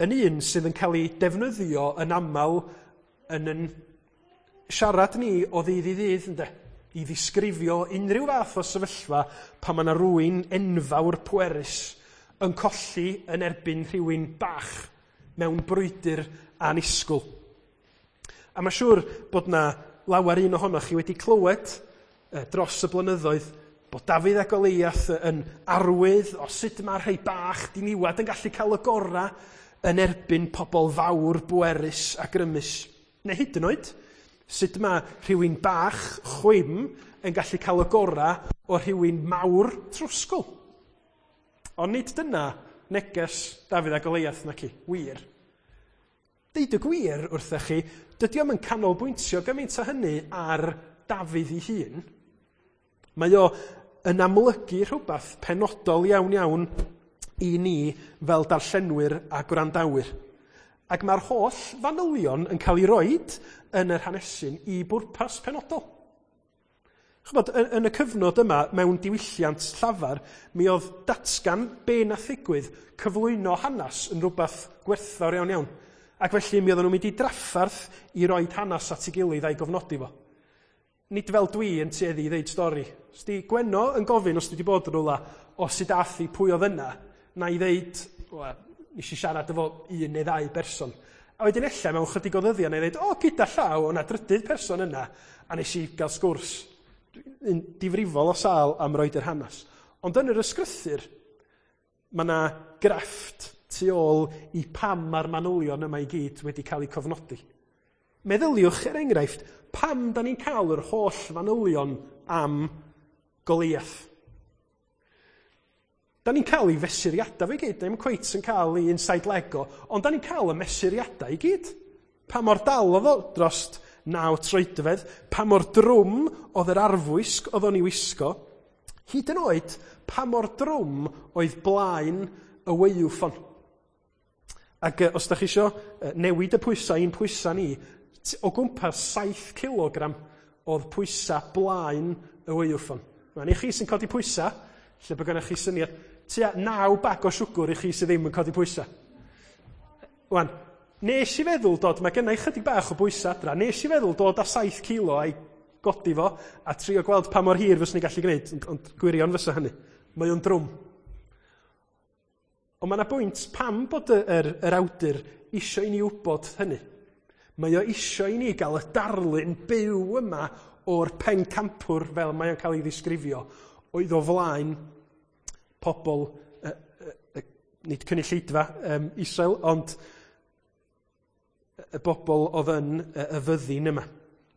yn un sydd yn cael ei defnyddio yn aml yn yn siarad ni o ddydd i ddydd, ynde? I ddisgrifio unrhyw fath o sefyllfa pan mae yna rywun enfawr pwerus yn colli yn erbyn rhywun bach mewn brwydr annisgwyl. A mae siŵr bod na lawer un ohonoch chi wedi clywed dros y blynyddoedd bod Dafydd a Goliath yn arwydd o sut mae rhai bach diniwad yn gallu cael y gorau yn erbyn pobl fawr, bwerus a grymus. Neu hyd yn oed, sut mae rhywun bach chwim yn gallu cael y gorau o rhywun mawr trwsgl. Ond nid dyna neges Dafydd a Goliath naci, wir. Deud y gwir wrthych chi, dydy o'm yn canolbwyntio gymaint â hynny ar Dafydd ei hun. Mae o yn amlygu rhywbeth penodol iawn iawn i ni fel darllenwyr a gwrandawyr. Ac mae'r holl fanylion yn cael ei roid yn yr hanesyn i bwrpas penodol. Ch'mod, yn y cyfnod yma, mewn diwylliant llafar, mi oedd datgan be nath ddigwydd, cyflwyno hanes yn rhywbeth gwerthfawr iawn iawn. Ac felly mi oedden nhw'n mynd i drafferth i roid hanes at ei gilydd a'i gofnodi fo. Nid fel dwi yn tueddu i ddeud stori. Os di Gwenno yn gofyn os dwi wedi bod yn rhywle, o sut ath hi, pwy oedd yna, na i ddeud, wel, nes i siarad efo un neu ddau berson. A wedyn ella mewn chydig o ddyddiau na i ddeud, o, gyda llaw, o'na drydydd person yna, a nes i gael sgwrs yn difrifol o sâl am roid yr hanes. Ond yn yr ysgrythur, mae yna grefft tu ôl i pam mae'r manylion yma i gyd wedi cael eu cofnodi. Meddyliwch, er enghraifft, pam da ni'n cael yr holl fanylion am Goliath. Da ni'n cael ei fesuriadau fe gyd, ddim cweit yn cael ei inside leg o, ond da ni'n cael y mesuriadau i gyd. Pa mor dal oedd o drost 9 troedfedd, pa mor drwm oedd yr arfwisg oedd o'n ei wisgo, hyd yn oed pa mor drwm oedd blaen y waywffon. Ac os da chi isio newid y pwysau i'n pwysau ni, o gwmpas 7 kilogram oedd pwysau blaen y waywffon. Mae'n i chi sy'n codi pwysau, lle bod gennych chi syniad, tua 9 bag o siwgr i chi sydd ddim yn codi pwysau. Wan, nes i feddwl dod, mae gennau chydig bach o bwysau adra, nes i feddwl dod â 7 kilo a'i godi fo a trio gweld pa mor hir fyswn i'n gallu gwneud, ond gwirion fysa hynny. Mae o'n drwm. Ond mae yna bwynt pam bod yr awdur isio i ni wybod hynny. Mae o isio i ni gael y darlun byw yma o'r pencampwr fel mae o'n cael ei ddisgrifio, oedd o flaen pobl, nid cynulleidfa Israel, ond y bobl oedd yn y fyddin yma.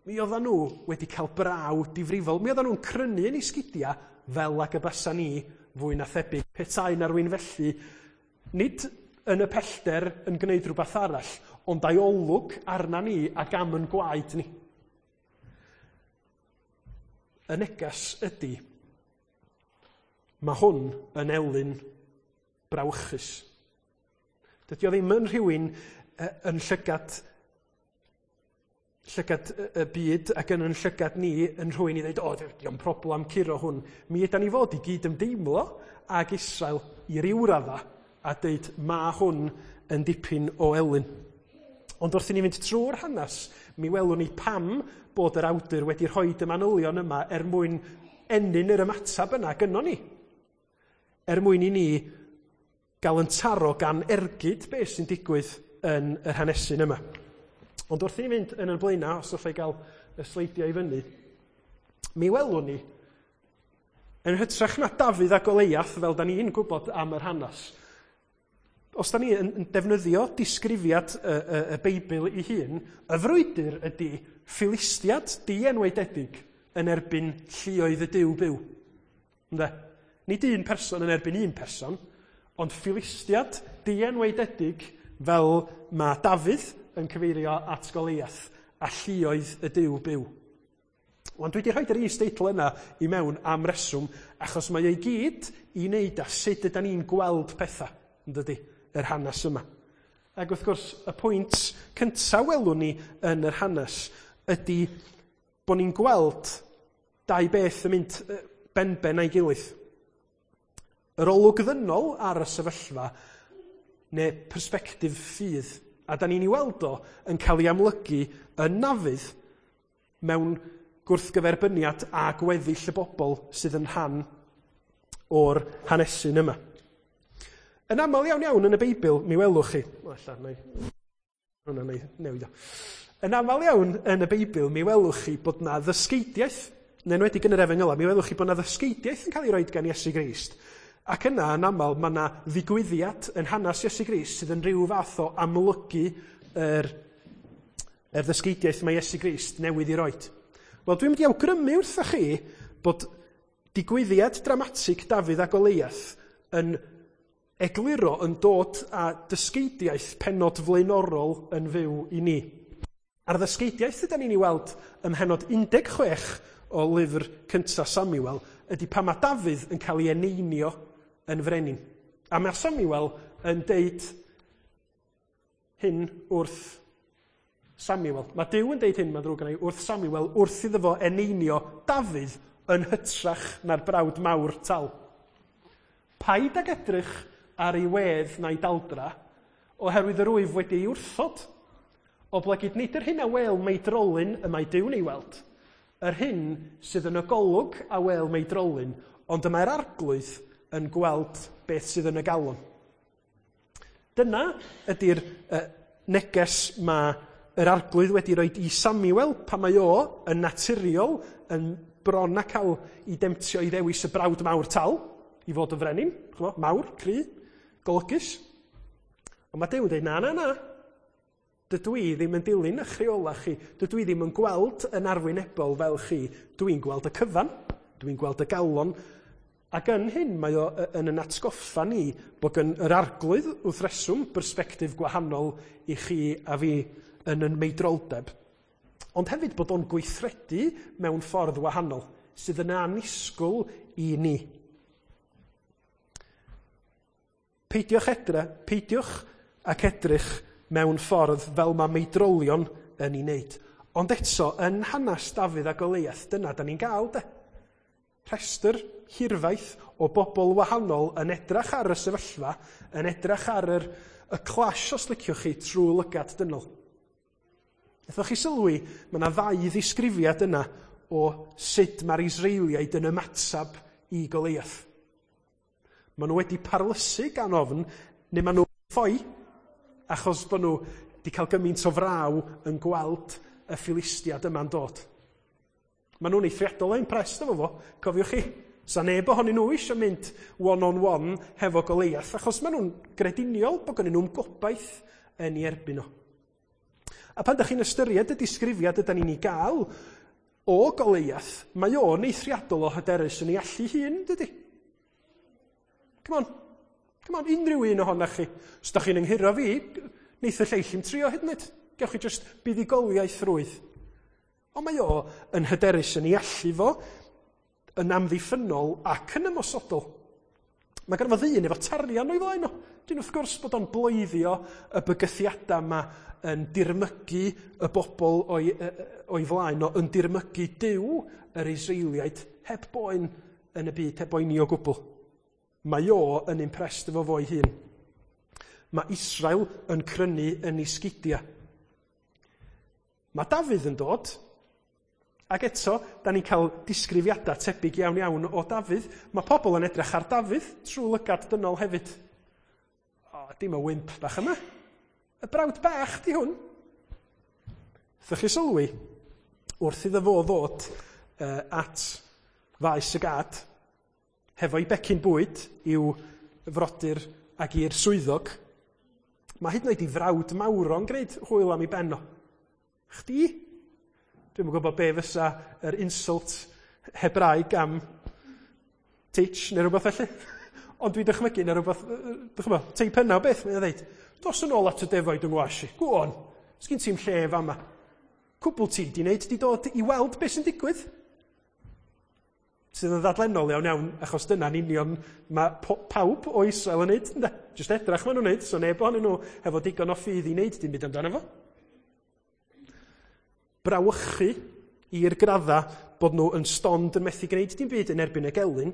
Mi oedden nhw wedi cael braw difrifol. Mi oedden nhw'n crynu yn eu sgidiau fel ag y basa ni fwy na thebyg. Petai na rywun felly, nid yn y pellter yn gwneud rhywbeth arall, ond a'i olwg arna ni ac am yn gwaed ni. Y neges ydy, mae hwn yn elyn brawychus. Dydy o ddim yn rhywun yn llygad y byd ac yn llygad ni yn rhywun i ddweud, o, dio'm problem curo hwn. Mi ydan ni fod i gyd ymdeimlo ag Israel i ryw radda a deud, ma hwn yn dipyn o elyn. Ond wrth i ni fynd trwy'r hanes, mi welwn ni pam bod yr awdur wedi rhoi y manylion yma er mwyn ennyn yr ymateb yna gynnon ni. Er mwyn i ni gael yn taro gan ergyd beth sy'n digwydd yn yr hanesyn yma. Ond wrth i ni fynd yn y blaenau, os allai gael y sleidiau i fyny, mi welwn ni, yn hytrach na Dafydd a Goliath, fel da ni'n gwybod am yr hanes, os da ni yn defnyddio disgrifiad y Beibl ei hun, y frwydr ydy Philistiad dienwaededig yn erbyn lluoedd y Duw byw. Ynde? Nid un person yn erbyn un person, ond Philistiad dienwaededig fel mae Dafydd yn cyfeirio at Goliath a lluoedd y Duw byw. Wan, dwi wedi rhoi yr is-deitl yna i mewn am reswm, achos mae o'i gyd i wneud â sut ydan ni'n gweld pethau, yn dydi, yr hanes yma. Ac wrth gwrs, y pwynt cyntaf welwn ni yn yr hanes ydy bod ni'n gweld dau beth yn mynd benben a'i gilydd. Yr olwg ddynol ar y sefyllfa neu persbectif ffydd. A da ni'n ei weld o yn cael ei amlygu yn Nafydd mewn gwrthgyferbyniad a gweddill y bobl sydd yn rhan o'r hanesyn yma. Yn aml iawn iawn yn y Beibl, mi welwch chi... O, ella, neu... Hwna, neu newid o. Yn aml iawn yn y Beibl, mi welwch chi bod na ddysgeidiaeth, yn enwedig yn yr Efengylau, mi welwch chi bod na ddysgeidiaeth yn cael ei roed gan Iesu Grist. Ac yna, yn aml, mae yna ddigwyddiad yn hanes Iesu Grist sydd yn rhyw fath o amlygu yr, yr ddysgeidiaeth mae Iesu Grist newydd i roed. Wel, dwi'n mynd i awgrymu wrthoch chi bod digwyddiad dramatig Dafydd a Goleiath yn egluro yn dod â dysgeidiaeth pennod flaenorol yn fyw i ni. A'r ddysgeidiaeth ydan ni'n ei weld ym mhennod 16 o lyfr cyntaf Samuel ydy pan mae Dafydd yn cael ei eneinio yn frenin. A mae Samuel yn deud hyn wrth Samuel. Mae Duw yn deud hyn, mae'n ddrwg gen i, wrth Samuel wrth iddo fo eneinio Dafydd yn hytrach na'r brawd mawr tal. Paid ag edrych ar ei wedd na'i daldra, oherwydd yr wyf wedi ei wrthod. Oblegid nid yr hyn a wel meidrolyn y mae Duw'n ei weld, yr hyn sydd yn y golwg a wel meidrolyn, ond y mae'r Arglwydd yn gweld beth sydd yn y galon. Dyna ydy'r neges mae yr Arglwydd wedi rhoi i Samuel pan mae o yn naturiol yn bron a cael ei demtio i ddewis y brawd mawr tal i fod yn frenin, ch'mo, mawr, cry, golygus. Ond mae Duw yn dweud, na, na, na, dydw i ddim yn dilyn eich rheolau chi, dydw i ddim yn gweld yn arwynebol fel chi, dwi'n gweld y cyfan, dwi'n gweld y galon. Ac yn hyn mae o yn yn atgoffa ni bod gan yr Arglwydd wrth reswm bersbectif gwahanol i chi a fi yn yn meidroldeb, ond hefyd bod o'n gweithredu mewn ffordd wahanol sydd yn annisgwyl i ni. Peidiwch edrych, peidiwch ac edrych mewn ffordd fel mae meidrolion yn ei wneud. Ond eto, yn hanes Dafydd a Goleiath, dyna da ni'n gael de. Rhestr hirfaith o bobl wahanol yn edrach ar y sefyllfa, yn edrach ar yr, y clash, os liciwch chi, trwy lygad dynol. Nethoch chi sylwi, mae yna ddau ddisgrifiad yna o sut mae'r Israeliaid yn ymatab i Goleiath. Maen nhw wedi parlysu gan ofn, neu maen nhw'n ffoi, achos bod nhw wedi cael gymaint o fraw yn gweld y Philistiad yma'n dod. Maen nhw'n eithriadol o impressed efo fo, cofiwch chi. Sa neb ohonyn nhw eisiau mynd one-on-one hefo Goleiath, achos maen nhw'n grediniol bod gennyn nhw'n gobaith yn ei erbyn nhw. A pan ydych chi'n ystyried y disgrifiad ydy ni'n ei gael o Goleiath, mae o'n eithriadol o hyderus yn ei allu hun, dydy? Come on, come on, unrhyw un ohonoch chi. Os da chi'n ynghuro fi, neith y lleill i'm trio hyd yn oed. Gewch chi just buddugoliaeth rwydd. Ond mae o yn hyderus yn ei allu fo, yn amddiffynnol ac yn ymosodol. Mae gynno fo ddyn efo tarian o'i flaen o. Dyn wrth gwrs bod o'n bloeddio y bygythiadau yma yn dirmygu y bobl o'i, o'i flaen o, yn dirmygu Duw yr Israeliaid heb boen yn y byd, heb boeni o gwbl. Mae o yn impressed efo fo'i hun. Mae Israel yn crynu yn ei sgidiau. Mae Dafydd yn dod, ac eto, da ni'n cael disgrifiadau tebyg iawn iawn o Dafydd. Mae pobl yn edrych ar Dafydd trwy lygad dynol hefyd. O, dim y wimp bach yma. Y brawd bach di hwn. Ddech chi sylwi, wrth iddo fo ddod at faes y gad, hefo'i becyn bwyd i'w frodyr ac i'r swyddog, mae hyd yn oed i frawd mawr o'n gwneud hwyl am ei ben o. Chdi? Dwi'm yn gwybod be fysa yr insult Hebraeg am teach neu rhywbeth felly. Ond dwi'n dychmygu neu rhywbeth, dychmygu, teip yna o beth, mae'n dweud, dos yn ôl at y defaid yng ngwas i. Go on, sgyn ti'm lle fama. Cwbl ti di wneud, di dod i weld beth sy'n digwydd. Sydd yn ddadlennol iawn iawn, achos dyna'n union mae pawb o Israel yn neud, ynde? Jyst edrach maen nhw'n neud, so neb ohonyn nhw hefo digon o ffydd i wneud dim byd amdano fo. Brawychu i'r gradda bod nhw yn stond yn methu gwneud dim byd yn erbyn y gelyn,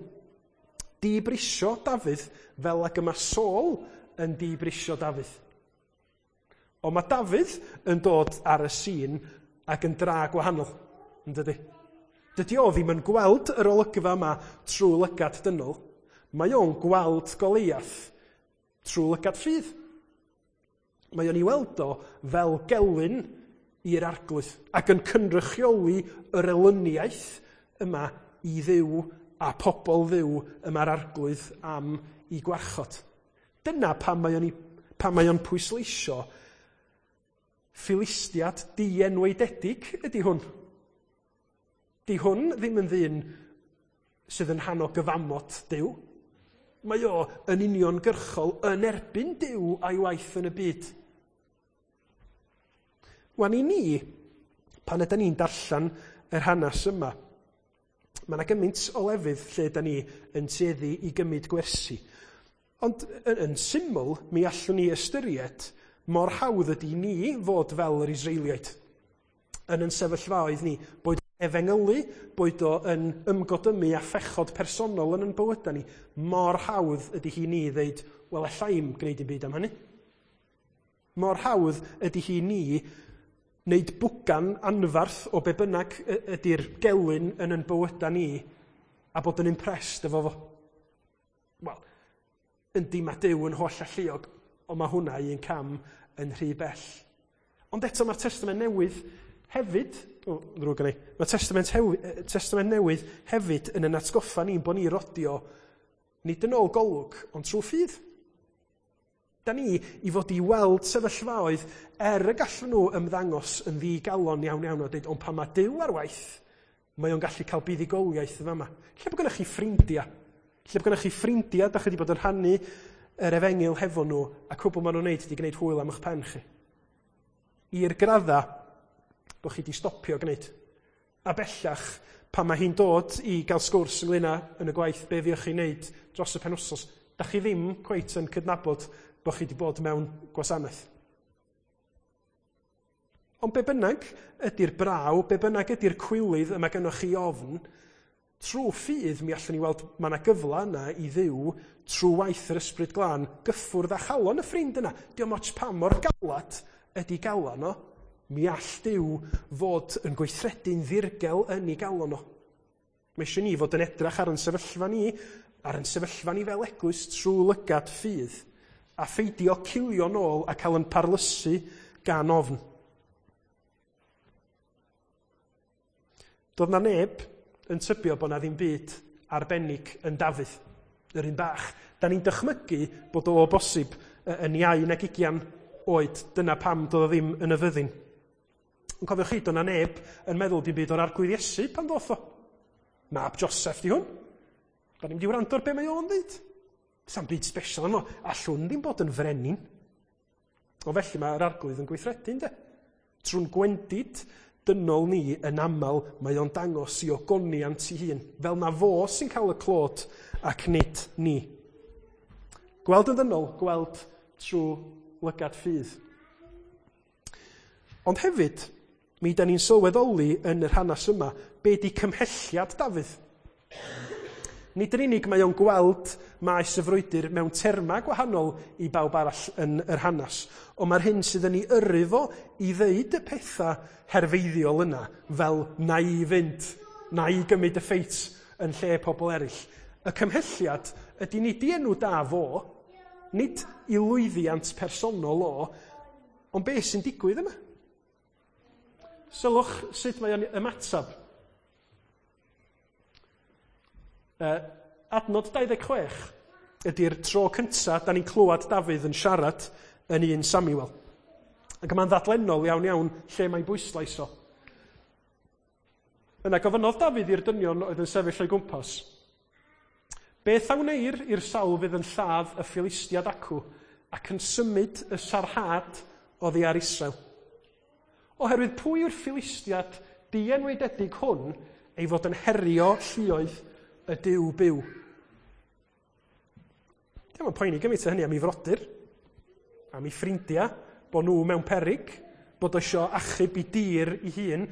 dibrisio Dafydd fel ag y mae Saul yn dibrisio Dafydd. Ond mae Dafydd yn dod ar y sîn ac yn dra gwahanol, yn dydy? Dydy o ddim yn gweld yr olygfa yma trwy lygad dynol. Mae o'n gweld Goliath trwy lygad ffydd. Mae o'n ei weld o fel gelyn i'r Arglwydd ac yn cynrychioli yr elyniaeth yma i Dduw a pobl Dduw y mae'r Arglwydd am i gwarchod. Dyna pam mae o'n, pam mae o'n pwysleisio Philistiad dienwaededig ydy hwn. Di hwn ddim yn ddyn sydd yn rhan o gyfamod Duw. Mae o yn uniongyrchol yn erbyn Duw a'i waith yn y byd. Wan i ni, pan ydyn ni'n darllen yr hanes yma, mae yna gymaint o lefydd lle ydyn ni yn tueddu i gymryd gwersi. Ond yn, yn syml, mi allwn ni ystyried mor hawdd ydy ni fod fel yr Israeliaid yn yn sefyllfaoedd ni, boed efengylu, boed o yn ymgodymu a phechod personol yn yn bywydau ni, mor hawdd ydy hi ni ddeud, wel, alla i'm gwneud dim byd am hynny. Mor hawdd ydy hi ni wneud bwgan anfarth o be bynnag ydy'r gelyn yn yn bywydau ni a bod yn impressed efo fo. Wel, yndi mae Duw yn holl alluog, ond mae hwnna un cam yn rhy bell. Ond eto mae'r Testament Newydd hefyd, o, ddrwg gen i, mae'r Testament, Testament Newydd hefyd yn yn atgoffa ni'n bod ni rodio nid yn ôl golwg, ond trwy ffydd. Da ni i fod i weld sefyllfaoedd er y gallwn nhw ymddangos yn ddigalon iawn iawn a dweud, ond pan mae Duw ar waith, mae o'n gallu cael buddugoliaeth yn fama. Lle bod gennych chi ffrindiau? Lle bod gennych chi ffrindiau, da chi wedi bod yn rhannu yr efengyl hefo nhw, a cwbl maen nhw'n neud ydy gwneud hwyl am eich pen chi. I'r gradda bod chi wedi stopio gwneud. A bellach, pan mae hi'n dod i gael sgwrs ynglyn â yn y gwaith be fuoch chi'n neud dros y penwsos, da chi ddim cweit yn cydnabod bod chi wedi bod mewn gwasanaeth. Ond be bynnag ydy'r braw, be bynnag ydy'r cwilydd y mae gennych chi ofn, trwy ffydd mi allwn ni weld mae yna gyfle yna i Dduw trwy waith yr Ysbryd Glân gyffwrdd â chalon y ffrind yna. Diolch ots pa mor galad ydy galon o, mi all Duw fod yn gweithredu'n ddirgel yn ei galon o. Mae eisiau ni fod yn edrach ar yn sefyllfa ni, ar yn sefyllfa ni fel eglwys trwy lygad ffydd, a pheidio cilio nôl a cael yn parlysu gan ofn. Doedd na neb yn tybio bod na ddim byd arbennig yn Dafydd, yr un bach. Da ni'n dychmygu bod o bosib yn iau nag 20 oed. Dyna pam doedd o ddim yn y fyddin. Yn cofiwch chi, doedd na neb yn meddwl dim byd o'r Arglwydd Iesu pan ddoth o. Mab Joseph di hwn. Da ni'n mynd i wrando ar be mae o'n dweud. Sa'm byd special yno. Allwn ddim bod yn frenin. O felly mae'r Arglwydd yn gweithredu, ynddo? Trwy'n gwendid dynol ni yn aml, mae o'n dangos i ogoniant i hun, fel na fo sy'n cael y clod ac nid ni. Gweld yn ddynol, gweld trwy lygad ffydd. Ond hefyd, mi da ni'n sylweddoli yn yr hanes yma, be di cymhelliad Dafydd. Nid yn unig mae o'n gweld maes y frwydr mewn termau gwahanol i bawb arall yn yr hanes, ond mae'r hyn sydd yn ei yrru fo i ddeud y pethau herfeiddiol yna, fel na i fynd, na i gymryd y ffeit yn lle pobl eraill. Y cymhelliad ydy nid i enw da fo, nid i lwyddiant personol o, ond beth sy'n digwydd yma? Sylwch sut mae o'n ymateb. Adnod 26 ydy'r tro cyntaf da ni'n clywed Dafydd yn siarad yn 1 Samuel. Ac mae'n ddadlennol iawn iawn lle mae'n bwyslais o. Yna gofynnodd Dafydd i'r dynion oedd yn sefyll o'i gwmpas. Beth a wneir i'r sawl fydd yn lladd y Philistiad acw ac yn symud y sarhad oddi ar Israel? Oherwydd pwy yw'r Philistiad dienwaededig hwn ei fod yn herio lluoedd y Duw byw? Dio'm yn poeni gymaint o hynny am ei frodyr, am ei ffrindiau, bod nhw mewn peryg, bod o isio achub i dir ei hun.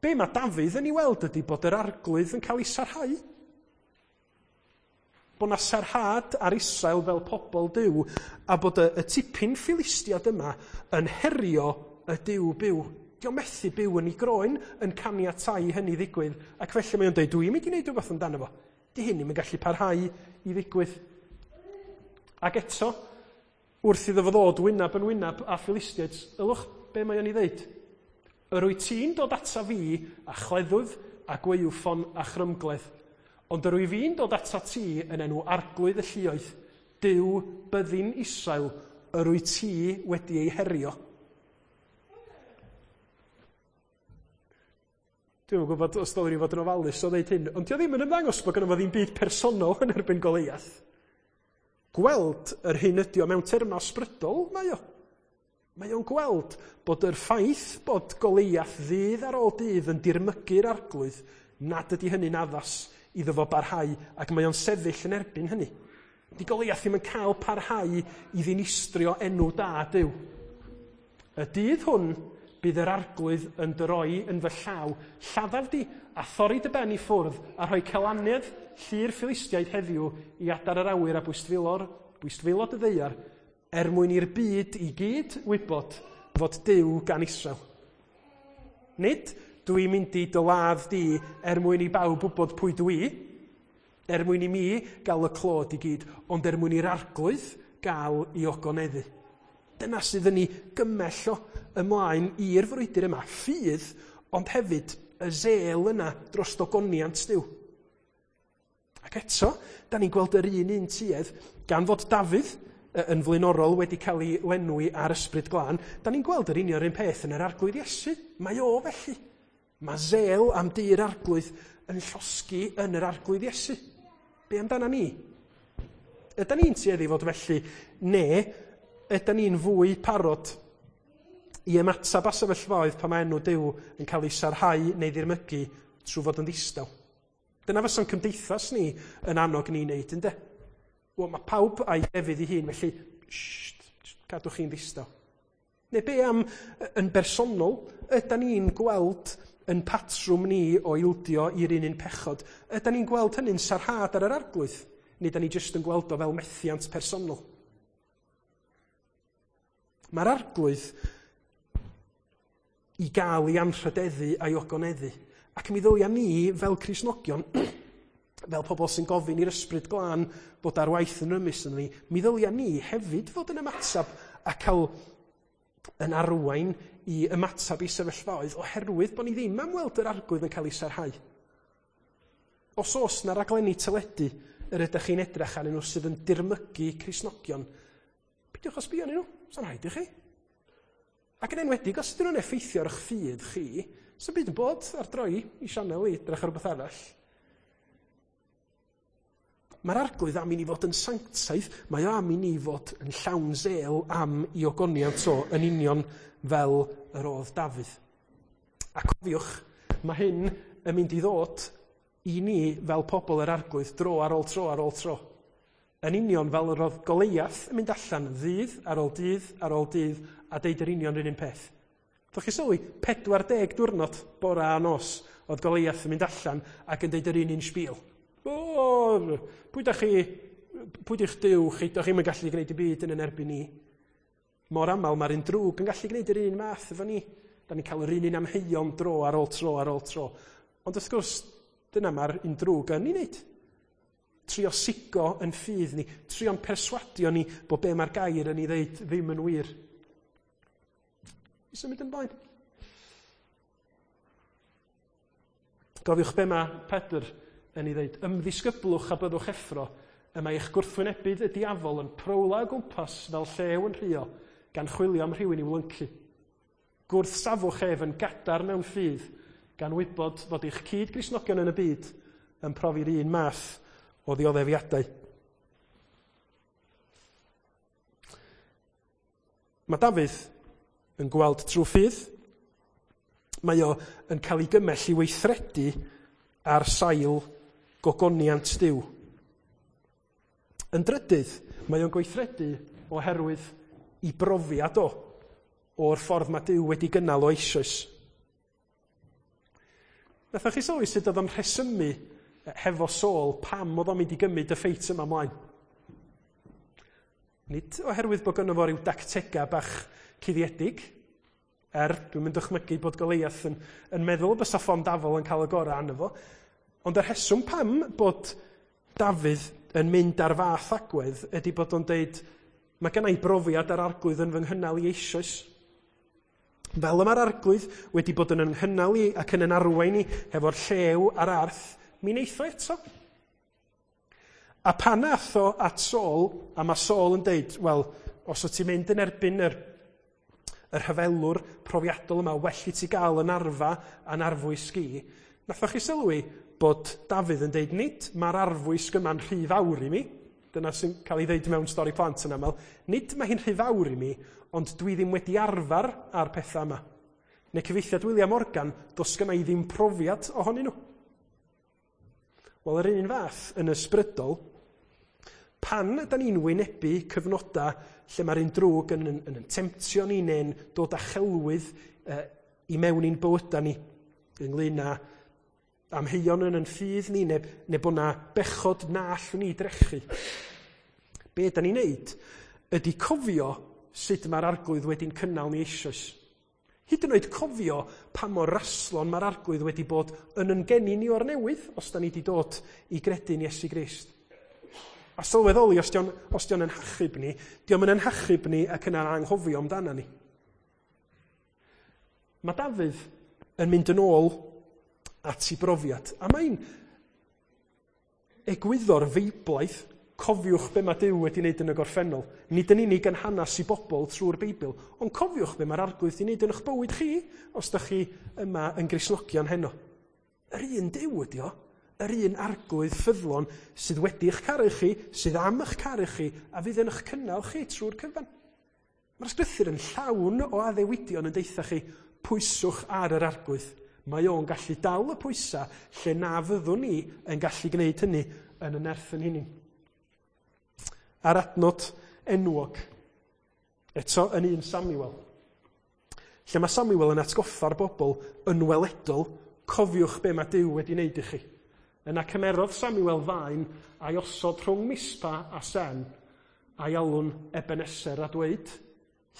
Be mae Dafydd yn ei weld ydy bod yr Arglwydd yn cael ei sarhau. Bod 'na sarhad ar Israel fel pobl Duw, a bod y tipyn Philistiad yma yn herio y Duw byw. Di o methu byw yn ei groen yn caniatáu hynny ddigwydd, ac felly mae o'n dweud, dwi'n mynd i wneud rhywbeth amdano fo. Di hyn ddim yn gallu parhau i ddigwydd. Ac eto, wrth iddo fo ddod wyneb yn wyneb â Philistiaid, ylwch be mae o'n ei ddeud. Yr wyt ti'n dod ata fi a chleddyf a gwaywffon a chrymgledd, ond yr wyf fi'n dod ata ti yn enw Arglwydd y lluoedd, Duw byddin Israel, yr wyt ti wedi ei herio. Dwi'm yn gwybod os dylwn i fod yn ofalus o ddeud hyn, ond dio ddim yn ymddangos bod gynno fo ddim byd personol yn erbyn Goliath. Gweld yr hyn ydi o mewn termau ysbrydol, mae o. Mae o'n gweld bod yr ffaith bod Goliath ddydd ar ôl dydd yn dirmygu'r Arglwydd, nad ydy hynny'n addas iddo fo barhau, ac mae o'n sefyll yn erbyn hynny. Di Goliath ddim yn cael parhau i ddinistrio enw da Duw. Y dydd hwn bydd yr Arglwydd yn dy roi yn fy llaw, lladdaf di, a thorri dy ben i ffwrdd, a rhoi celanedd llu'r Philistiaid heddiw i adar yr awyr a bwystfilod y ddaear, er mwyn i'r byd i gyd wybod fod Duw gan Israel. Nid dwi'n mynd i dy ladd di er mwyn i bawb wybod pwy dwi, er mwyn i mi gael y clod i gyd, ond er mwyn i'r Arglwydd gael ei ogoneddu. Dyna sydd yn ei gymell o ymlaen i'r frwydr yma. Ffydd, ond hefyd y zel yna dros ogoniant Duw. Ac eto, da ni'n gweld yr un tuedd, gan fod Dafydd yn flaenorol wedi cael ei lenwi ar Ysbryd Glân, da ni'n gweld yr union un peth yn yr Arglwydd Iesu. Mae o felly. Mae zel am dir Arglwydd yn llosgi yn yr Arglwydd Iesu. Be amdana ni? Ydan ni'n tueddu fod felly, ne ydan ni'n fwy parod i ymateb â sefyllfaoedd pan mae enw Duw yn cael ei sarhau neu ddirmygu trwy fod yn ddistaw? Dyna fysa'n cymdeithas ni yn annog ni wneud, ynde? Wel, mae pawb a'i hefyd ei hun, felly, sht, cadwch chi'n ddistaw. Neu be am yn bersonol, ydan ni'n gweld yn patrwm ni o ildio i'r un pechod? Ydan ni'n gweld hynny'n sarhad ar yr Arglwydd? Neu da ni jyst yn gweld o fel methiant personol? Mae'r Arglwydd i gael ei anrhydeddu a'i ogoneddu. Ac mi ddylia ni, fel Cristnogion, fel pobl sy'n gofyn i'r Ysbryd Glân fod ar waith yn rymus yn ni, mi ddylia ni hefyd fod yn ymateb a cael yn arwain i ymateb i sefyllfaoedd oherwydd bod ni ddim am weld yr Arglwydd yn cael ei sarhau. Os oes na raglenni teledu yr ydych chi'n edrych arnyn nhw sydd yn dirmygu Cristnogion, peidiwch â sbio arnyn nhw, sa'n rhaid i chi. Ac yn enwedig, os ydyn nhw'n effeithio ar eich ffydd chi, sa'n byd yn bod ar droi i sianel i edrych ar rhywbeth arall. Mae'r Arglwydd am i ni fod yn sanctaidd, mae o am i ni fod yn llawn zel am i ogoniant o yn union fel yr oedd Dafydd. A cofiwch, mae hyn yn mynd i ddod i ni fel pobl yr Arglwydd dro ar ôl tro ar ôl tro. Yn union fel yr oedd Goliath yn mynd allan ddydd ar ôl dydd ar ôl dydd a deud yr union yr un peth. Dych chi sylwi, 40 diwrnod bora a nos oedd Goliath yn mynd allan ac yn deud yr un sbîl. O, pwy dach chi, pwy di'ch Duw chi, dych chi'm yn gallu gwneud y byd yn yn erbyn ni. Mor aml mae'r un drwg yn gallu gwneud yr un math efo ni. Da ni'n cael yr un amheuon dro ar ôl tro ar ôl tro. Ond wrth gwrs, dyna mae'r un drwg yn ei wneud. Trio sigo yn ffydd ni, trio'n perswadio ni bod be mae'r gair yn ei ddeud ddim yn wir. I symud ymlaen. Gofiwch be mae Pedr yn ei ddeud. Ymddisgyblwch a byddwch effro, y mae eich gwrthwynebydd y diafol yn prowla o gwmpas fel llew yn rhuo, gan chwilio am rhywun i'w lyncu. Gwrthsafwch ef yn gadarn mewn ffydd, gan wybod fod eich cyd-Gristnogion yn y byd yn profi'r un math o ddioddefiadau. Mae Dafydd yn gweld trwy ffydd. Mae o yn cael ei gymell i weithredu ar sail gogoniant Duw. Yn drydydd, mae o'n gweithredu oherwydd i brofiad o o'r ffordd mae Duw wedi gynnal o eisoes. Nathoch chi sylwi sut oedd o'n rhesymu hefo Saul pam oedd o'n mynd i gymryd y ffeit yma ymlaen. Nid oherwydd bod gynno fo ryw dactega bach cuddiedig, dwi'n mynd dychmygu bod Goliath yn meddwl bysa ffon dafol yn cael y gorau arno fo, ond y rheswm pam bod Dafydd yn mynd ar fath agwedd ydy bod o'n deud, mae gynna i brofiad ar arglwydd yn fy nghynnal i eisoes. Fel y mae'r arglwydd wedi bod yn nghynnal i ac yn arwain i hefo'r llew a'r arth, mi wneith o eto. A pan ath o at Saul, a mae Saul yn deud, wel, os wyt ti'n mynd yn erbyn yr rhyfelwr profiadol yma, well i ti gael yn arfa a'n arfwysg i, nathoch chi sylwi bod Dafydd yn deud, nid mae'r arfwisg yma'n rhy fawr i mi, dyna sy'n cael ei ddeud mewn stori plant yn aml, nid mae hi'n rhy fawr i mi, ond dwi ddim wedi arfer â'r pethau yma. Neu cyfieithiad William Morgan, does gynna i ddim profiad ohonyn nhw. Wel, yr un fath yn ysbrydol, pan ydan ni'n wynebu cyfnodau lle mae'r un drwg yn temtio ni neu'n dod â chelwydd i mewn i'n bywydau ni, ynglyn â amheuon yn ffydd ni, neu bod na bechod na allwn ni drechu. Be ydan ni'n neud ydy cofio sut mae'r arglwydd wedi'n cynnal ni eisoes. Hyd yn oed cofio pa mor raslon mae'r arglwydd wedi bod yn geni ni o'r newydd, os da ni wedi dod i gredu'n Iesu Grist. A sylweddoli, os dio'n yn hachub ni, dio'm yn hachub ni ac yna'n anghofio amdana ni. Mae Dafydd yn mynd yn ôl at ei brofiad. A mae'n egwyddor feiblaidd, cofiwch be mae Duw wedi wneud yn y gorffennol. Nid yn unig yn hanes i bobl trwy'r Beibl, ond cofiwch be mae'r arglwydd wedi wneud yn eich bywyd chi, os da chi yma yn Gristnogion heno. Yr un Duw ydi o, yr un arglwydd ffyddlon sydd wedi eich caru chi, sydd am eich caru chi, a fydd yn eich cynnal chi trwy'r cyfan. Mae'r ysgrythur yn llawn o addewidion yn deutha chi, pwyswch ar yr arglwydd. Mae o'n gallu dal y pwysa lle na fyddwn ni yn gallu gwneud hynny yn y nerth yn hunain. A'r adnod enwog, eto yn 1 Samuel, lle mae Samuel yn atgoffa'r bobl yn weledol, cofiwch be mae Duw wedi wneud i chi. Yna cymerodd Samuel faen a'i osod rhwng Mispa a Sen, a'i alw'n Ebeneser a dweud,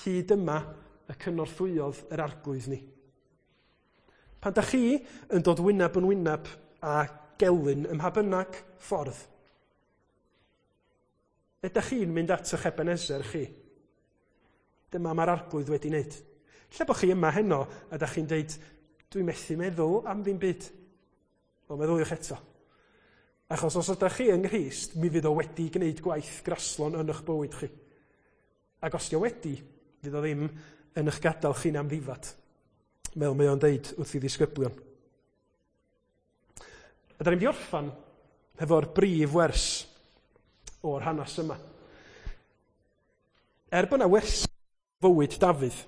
hyd yma y cynorthwyodd yr arglwydd ni. Pan da chi yn dod wyneb yn wyneb â gelyn ym mha bynnag ffordd, ydych chi'n mynd at eich Ebenezer chi? Dyma mae'r arglwydd wedi wneud. Lle bod chi yma heno a da chi'n deud, dwi'n methu meddwl am ddim byd. Wel, meddyliwch eto. Achos os ydych chi yng Nghrist, mi fydd o wedi gwneud gwaith graslon yn eich bywyd chi. Ac os dio wedi, fydd o ddim yn eich gadael chi'n amddifad, fel mae o'n deud wrth i ddisgyblion. A da ni'n mynd i orffan hefo'r brif wers o'r hanes yma. Er bod yna wers fywyd Dafydd,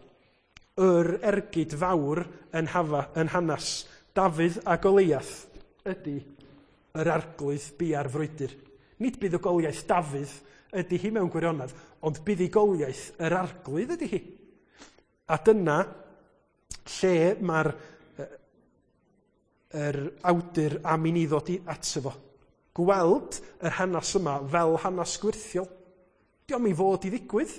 yr ergyd fawr yn hanes Dafydd a Goliath ydy yr arglwydd bia'r frwydr. Nid buddugoliaeth Dafydd ydy hi mewn gwirionedd, ond buddugoliaeth yr arglwydd ydy hi. A dyna lle mae'r yr awdur am i ni ddod i ato fo. Gweld yr hanes yma fel hanes gwyrthiol. Dio'm i fod i ddigwydd.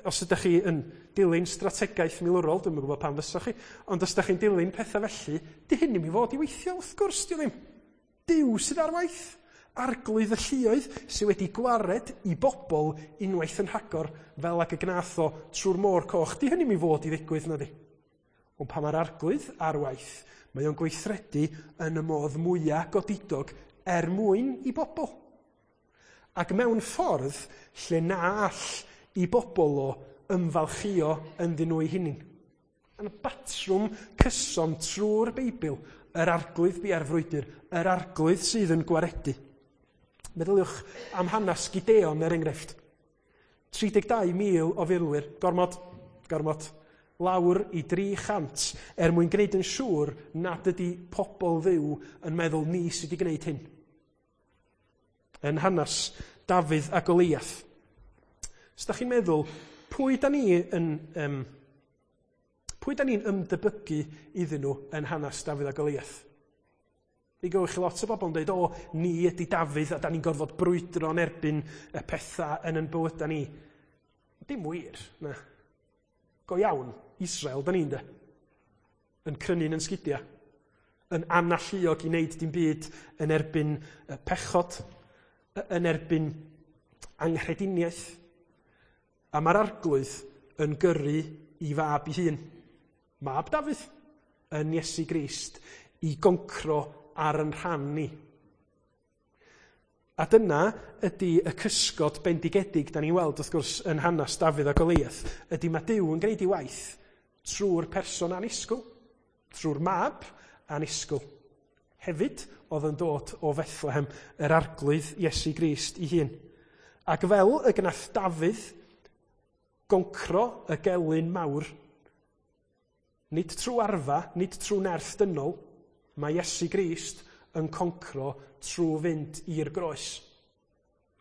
Os ydych chi yn dilyn strategaeth milwrol, dwi'm yn gwybod pam fysa chi, ond os ydych chi'n dilyn pethau felly, di hyn ddim i fod i weithio, wrth gwrs, di ddim. Duw sydd ar waith. Arglwydd y lluoedd sydd wedi gwared i bobl unwaith yn rhagor fel ag y gnath o trwy'r môr coch. Di hynny ddim i fod i ddigwydd, na di. Ond pan mae'r arglwydd ar waith, mae o'n gweithredu yn y modd mwyaf godidog er mwyn i bobl. Ac mewn ffordd lle na all i bobl o ymfalchio ynddyn nhw eu hunain. Yn y batrwm cyson trwy'r Beibl, yr arglwydd bia'r frwydr, yr arglwydd sydd yn gwaredu. Meddyliwch am hanes Gideon er enghraifft. 32,000 o filwyr, gormod, lawr i 300 er mwyn gwneud yn siŵr nad ydy pobl Dduw yn meddwl ni sydd wedi gwneud hyn. Yn hanes Dafydd a Goliath. Os da chi'n meddwl, pwy da ni'n ymdebygu iddyn nhw yn hanes Dafydd a Goliath? Mi gywch chi lot o bobl yn dweud, o, ni ydy Dafydd a da ni'n gorfod brwydro yn erbyn y pethau yn yn bywydau ni. Dim wir, na. Go iawn, Israel, da ni'n de. Yn crynu'n yn sgidiau. Yn analluog i wneud dim byd yn erbyn y pechod, yn erbyn anghrediniaeth. A mae'r arglwydd yn gyrru i fab i hun, mab Dafydd, yn Iesu Grist, i goncro ar yn rhan ni. A dyna ydy y cysgod bendigedig da ni'n weld wrth gwrs yn hanes Dafydd a Goliath, ydy mae Duw yn gwneud ei waith trwy'r person annisgwyl, trwy'r mab annisgwyl. Hefyd oedd yn dod o Fethlehem, yr arglwydd Iesu Grist ei hun. Ac fel y gnath Dafydd goncro y gelyn mawr, nid trwy arfa, nid trwy nerth dynol, mae Iesu Grist yn concro trwy fynd i'r groes.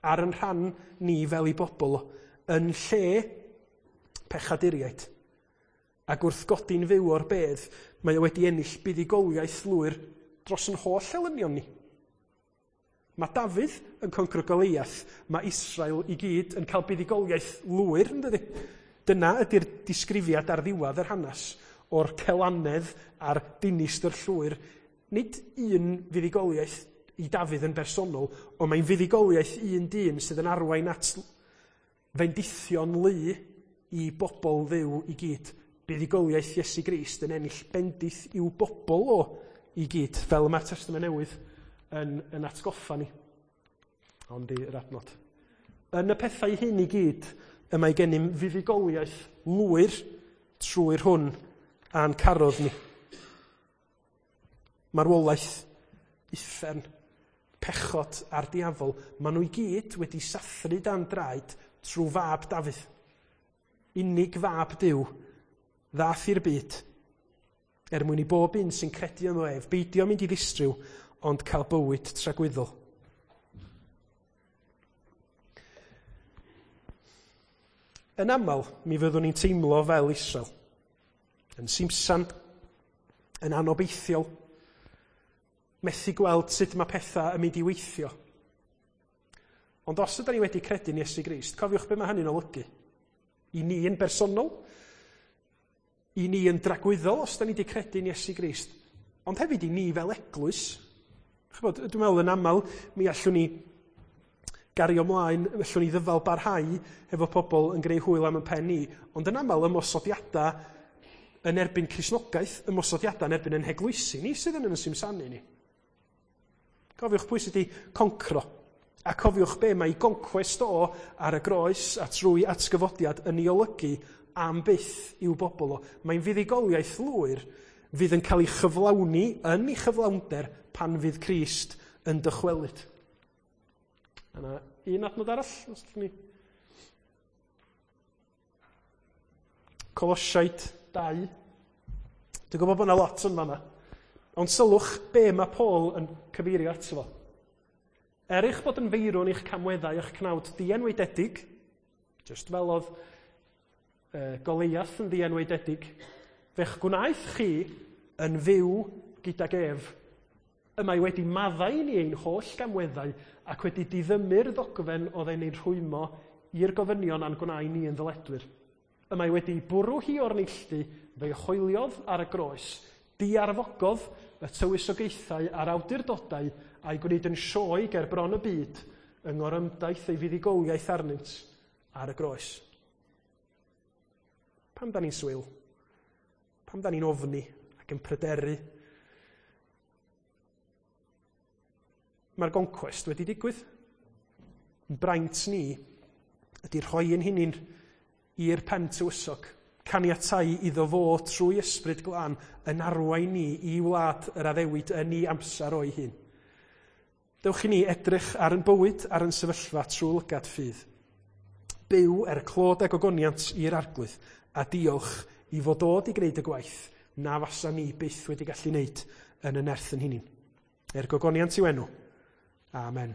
Ar yn rhan ni fel i bobl, yn lle pechaduriaid. Ac wrth godi'n fyw o'r bedd, mae o wedi ennill buddugoliaeth lwyr dros yn holl elynion ni. Mae Dafydd yn concro Goliath, mae Israel i gyd yn cael buddugoliaeth lwyr, yn dydy? Dyna ydy'r disgrifiad ar ddiwedd yr hanes o'r celanedd a'r dinistr llwyr. Nid un fuddugoliaeth i Dafydd yn bersonol, ond mae'n fuddugoliaeth un dyn sydd yn arwain at fendithion lu i bobl Dduw i gyd. Buddugoliaeth Iesu Grist yn ennill bendith i'w bobl o i gyd, fel y mae'r Testament Newydd yn atgoffa ni. Ond i'r adnod. Yn y pethau hyn i gyd, y mae gennym fuddugoliaeth lwyr trwy'r hwn a'n carodd ni. Marwolaeth, uffern, pechod a'r diafol, maen nhw i gyd wedi sathru dan draed trwy fab Dafydd. Unig fab Duw ddath i'r byd, er mwyn i bob un sy'n credu ynddo ef beidio mynd i ddistryw, ond cael bywyd tragwyddol. Yn aml, mi fyddwn ni'n teimlo fel Israel. Yn simsan, yn anobeithiol, methu gweld sut mae pethau yn mynd i weithio. Ond os ydyn ni wedi credu yn Iesu Grist, cofiwch be mae hynny'n olygu. I ni yn bersonol, i ni yn dragwyddol os ydyn ni wedi credu yn Iesu Grist, ond hefyd i ni fel eglwys. Chybod, dwi'n meddwl yn aml, mi allwn ni gario ymlaen, allwn ni ddyfal barhau efo pobl yn gwneud hwyl am y pen ni, ond yn aml ymosodiadau yn erbyn Cristnogaeth, ymosodiadau yn erbyn yn heglwysi ni sydd yn simsanu ni. Cofiwch pwy sydd wedi concro, a cofiwch be mae goncwest o ar y groes a trwy atgyfodiad yn ei olygu am byth i'w bobl o. Mae'n fuddugoliaeth lwyr fydd yn cael ei chyflawni yn ei chyflawnder pan fydd Crist yn dychwelyd. Yna un adnod arall, os allwn ni. Colosiaid 2. Dwi'n gwybod bod yna lot yn fanna. Ond sylwch be mae Paul yn cyfeirio ato fo. Er eich bod yn feirwn i'ch camweddau a'ch cnawd dienwaededig, just fel oedd Goliath yn ddienwaededig, fe'ch gwnaeth chi yn fyw gydag ef. Y mae wedi maddau ni ein holl gamweddau ac wedi diddymu'r ddogfen oedd e'n ein rhwymo i'r gofynion a'n gwnau ni yn ddyledwyr. Y mae wedi bwrw hi o'r neilltu, fe'i hoeliodd ar y groes, diarfogodd y tywysogaethau a'r awdurdodau a'i gwneud yn sioe ger bron y byd yng ngorymdaith ei fuddugoliaeth arnynt ar y groes. Pam da ni'n swil? Pam da ni'n ofni ac yn pryderu? Mae'r goncwest wedi digwydd. Braint ni ydy rhoi yn hunain i'r pen tywysog, caniatáu iddo fo trwy ysbryd glân yn arwain ni i wlad yr addewid yn ei amser o'i hun. Dewch i ni edrych ar yn bywyd, ar yn sefyllfa trwy lygad ffydd. Byw er clod a gogoniant i'r arglwydd, a diolch i fod dod i gwneud y gwaith na fasa ni byth wedi gallu wneud yn y nerth yn hunain. Er gogoniant i'w enw. Amen.